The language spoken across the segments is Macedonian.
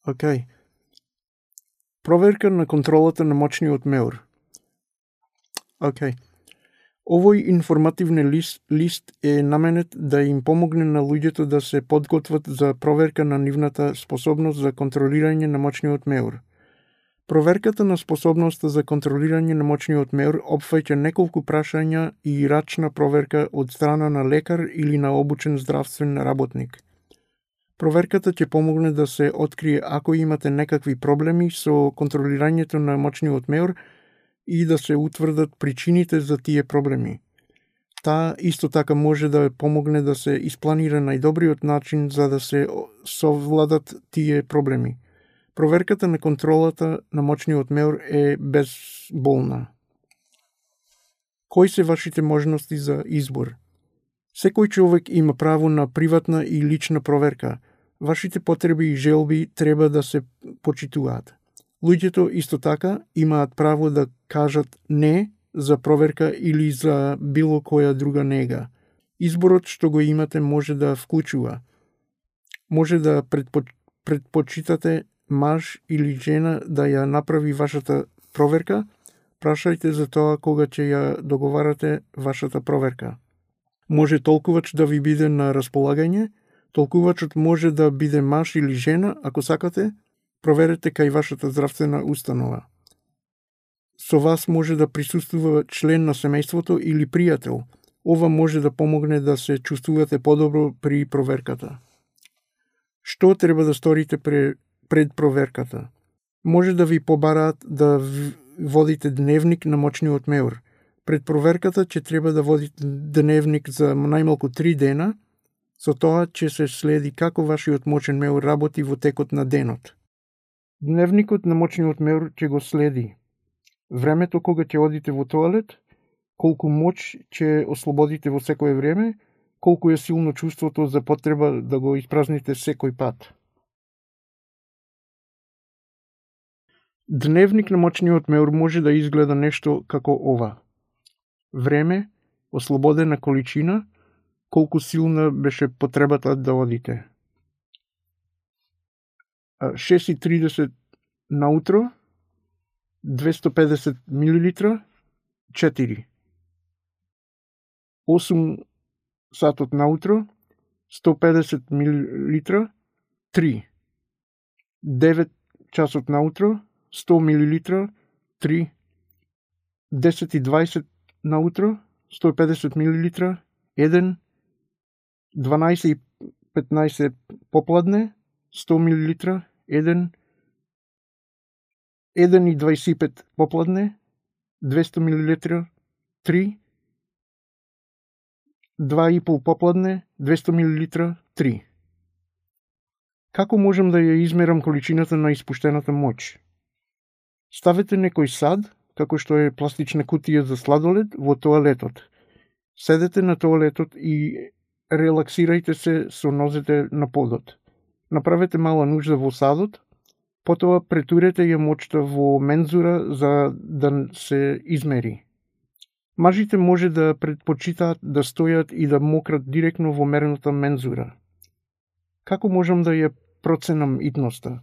Океј. Проверка на контролата на мочниот меур. Океј. Овој информативен лист е наменет да им помогне на луѓето да се подготват за проверка на нивната способност за контролирање на мочниот меур. Проверката на способноста за контролирање на мочниот меур опфаќа неколку прашања и рачна проверка од страна на лекар или на обучен здравствен работник. Проверката ќе помогне да се открие ако имате некакви проблеми со контролирањето на мочниот меур и да се утврдат причините за тие проблеми. Таа исто така може да помогне да се испланира најдобриот начин за да се совладат тие проблеми. Проверката на контролата на мочниот меур е безболна. Кои се вашите можности за избор? Секој човек има право на приватна и лична проверка. Вашите потреби и желби треба да се почитуваат. Луѓето исто така имаат право да кажат не за проверка или за било која друга нега. Изборот што го имате може да вклучува. Може да предпочитате маж или жена да ја направи вашата проверка. Прашајте за тоа кога ќе ја договарате вашата проверка. Може толкувач да ви биде на располагање. Толкувачот може да биде маж или жена, ако сакате. Проверете кај вашата здравствена установа. Со вас може да присуствува член на семејството или пријател. Ова може да помогне да се чувствувате подобро при проверката. Што треба да сторите пред проверката? Може да ви побараат да водите дневник на мочниот меур. Пред проверката ќе треба да водите дневник за најмалку 3 дена. Со тоа ќе се следи како вашиот мочен меур работи во текот на денот. Дневникот на мочниот меур ќе го следи времето кога ќе одите во тоалет, колку моќ ќе ослободите во секое време, колку е силно чувството за потреба да го испразните секој пат. Дневник на мочниот меур може да изгледа нешто како ова. Време, ослободена количина, колку силна беше потребата да одите. 6:30 наутро, 250 мл, 4. 8 сатот наутро, 150 мл, 3. 9 часот наутро, 100 мл, 3. 10:20 наутро, 150 мл, 1. 12:15 попладне, 100 мл, 1. 1:25 попладне, 200 мл, 3. 2:30 попладне, 200 мл, 3. Како можам да ја измерам количината на испуштената моќ? Ставете некој сад, како што е пластична кутија за сладолед, во тоалетот. Седете на тоалетот и релаксирајте се со нозете на подот. Направете мала нужда во садот, потоа претурете ја моќта во мензура за да се измери. Мажите може да предпочитаат да стојат и да мократ директно во мерната мензура. Како можам да ја проценам итноста?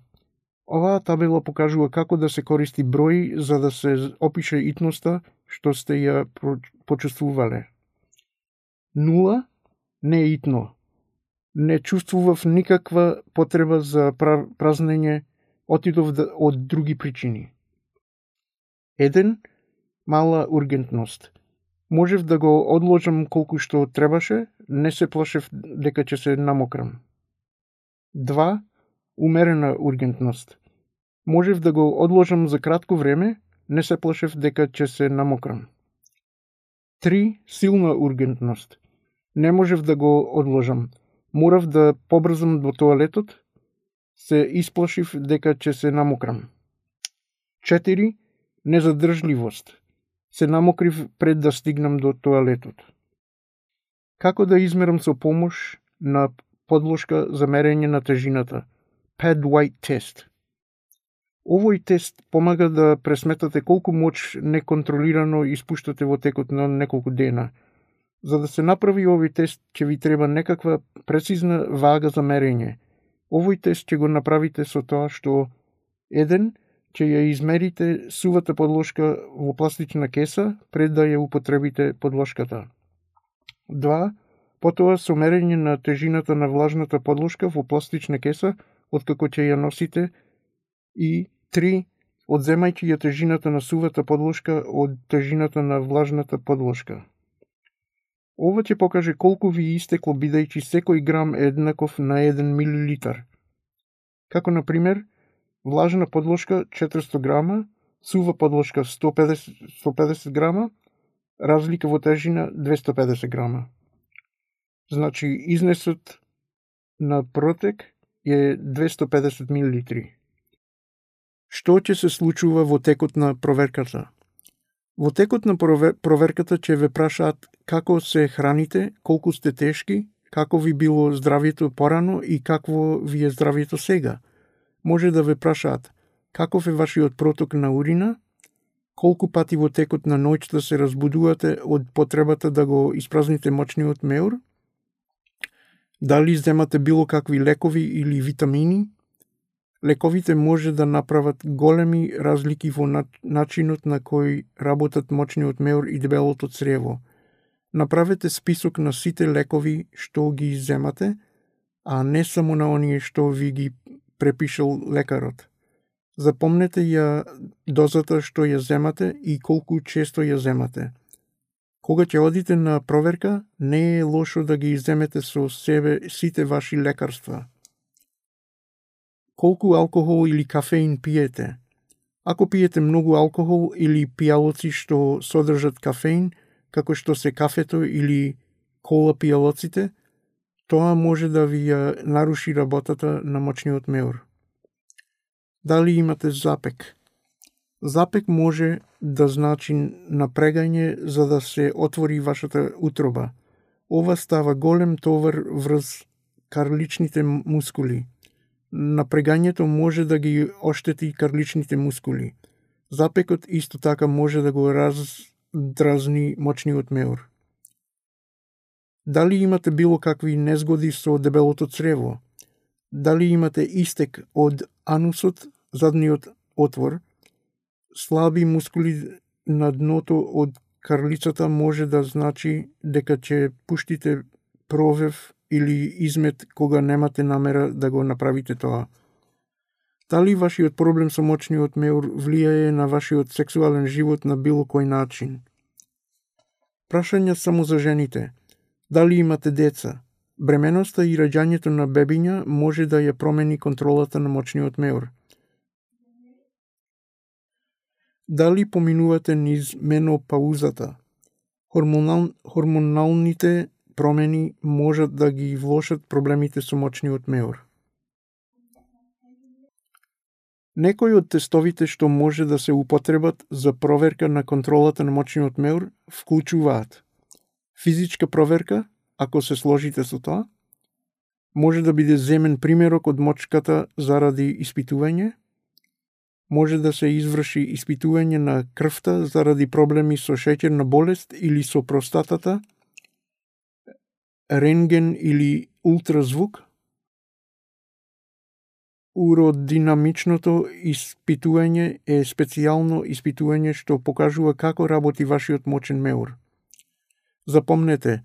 Оваа табела покажува како да се користи број за да се опише итноста што сте ја почувствувале. 0 не е итно. Не чувствував никаква потреба за празнење, отидов од други причини. 1 мала ургентност. Можев да го одложам колку што требаше, не се плашев дека ќе се намокрам. 2 умерена ургентност. Можев да го одложам за кратко време, не се плашев дека ќе се намокрам. 3 силна ургентност. Не можев да го одложам. Морав да побрзам до тоалетот, се исплашив дека ќе се намокрам. 4 незадржливост. Се намокрив пред да стигнам до тоалетот. Како да измерам со помош на подложка за мерење на тежината? Pad-White тест. Овој тест помага да пресметате колку моќ неконтролирано испуштате во текот на неколку дена. За да се направи овој тест ќе ви треба некаква прецизна вага за мерење. Овој тест ќе го направите со тоа што 1. Ќе ја измерите сувата подложка во пластична кеса пред да ја употребите подложката. 2. Потоа со мерење на тежината на влажната подложка во пластична кеса откако ќе ја носите и 3. Одземајќи ја тежината на сувата подложка од тежината на влажната подложка. Ова ќе покаже колку ви истекло бидејќи секој грам е еднаков на 1 милилитар. Како на пример, влажна подложка 400 грама, сува подложка 150 грама, разлика во тежина 250 грама. Значи, изнесот на протек е 250 милилитри. Што ќе се случува во текот на проверката? Во текот на проверката ќе ве прашаат како се храните, колку сте тешки, како ви било здравието порано и какво ви е здравието сега. Може да ве прашаат каков е вашиот проток на урина, колку пати во текот на ноќта се разбудувате од потребата да го испразните мочниот меур, дали земате било какви лекови или витамини. Лековите може да направат големи разлики во начинот на кој работат мочниот меур и дебелото црево. Направете список на сите лекови што ги земате, а не само на оние што ви ги препишал лекарот. Запомнете ја дозата што ја земате и колку често ја земате. Кога ќе одите на проверка, не е лошо да ги земете со себе сите ваши лекарства. Колку алкохол или кафеин пиете? Ако пиете многу алкохол или пијалоци што содржат кафеин, како што се кафето или кола пијалоците, тоа може да ви ја наруши работата на мочниот меур. Дали имате запек? Запек може да значи напрегање за да се отвори вашата утроба. Ова става голем товар врз карличните мускули. Напрегањето може да ги оштети карличните мускули. Запекот исто така може да го раздразни мочниот меур. Дали имате било какви незгоди со дебелото црево? Дали имате истек од анусот, задниот отвор? Слаби мускули на дното од карлицата може да значи дека ќе пуштите провев или измет кога немате намера да го направите тоа. Дали вашиот проблем со мочниот меур влијае на вашиот сексуален живот на било кој начин? Прашања само за жените. Дали имате деца? Бременоста и раѓањето на бебиња може да ја промени контролата на мочниот меур. Дали поминувате низ менопаузата? Хормоналните промени можат да ги влошат проблемите со мочниот меур. Некои од тестовите што може да се употребат за проверка на контролата на мочниот меур вклучуваат физичка проверка, ако се сложите со тоа, може да биде земен примерок од мочката заради испитување, може да се изврши испитување на крвта заради проблеми со шеќерна болест или со простатата, рентген или ултразвук. Уродинамичното испитување е специјално испитување што покажува како работи вашиот мочен меур. Запомнете,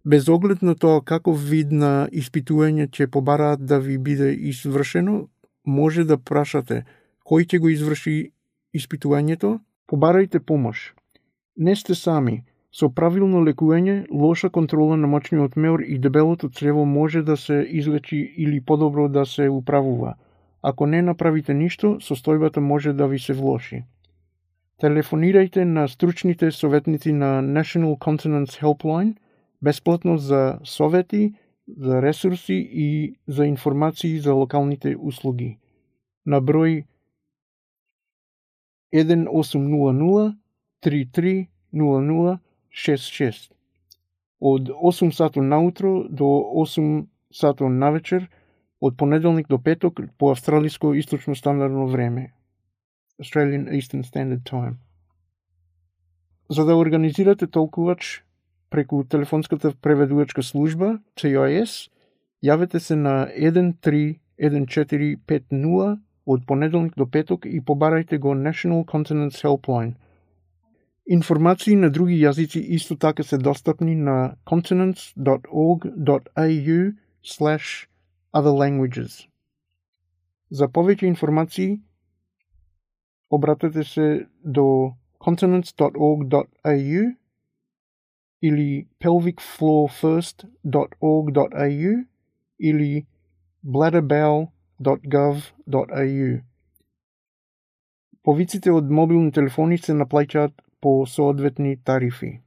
без оглед на тоа каков вид на испитување ќе побараат да ви биде извршено, може да прашате кој ќе го изврши испитувањето, побарајте помош. Не сте сами. Со правилно лекување, лоша контрола на мочниот меур и дебелото црево може да се излечи или подобро да се управува. Ако не направите ништо, состојбата може да ви се влоши. Телефонирајте на стручните советници на National Continence Helpline бесплатно за совети, за ресурси и за информации за локалните услуги. На број 1800 330066 од 8 сато наутро до 8 сато навечер од понеделник до петок по австралиско источно стандардно време. Australian Eastern Standard Time. За да организирате толкувач преку телефонската преведувачка служба, CIS, јавете се на 1450 од понеделник до петок и побарајте го National Continence Helpline. Информации на други јазици исто така се достапни на continents.org.au/otherlanguages. За повеќе информации обратете се до continents.org.au или pelvicfloorfirst.org.au или bladderbowel.gov.au. Повиците од мобилни телефони се наплаќаат по соодветни тарифи.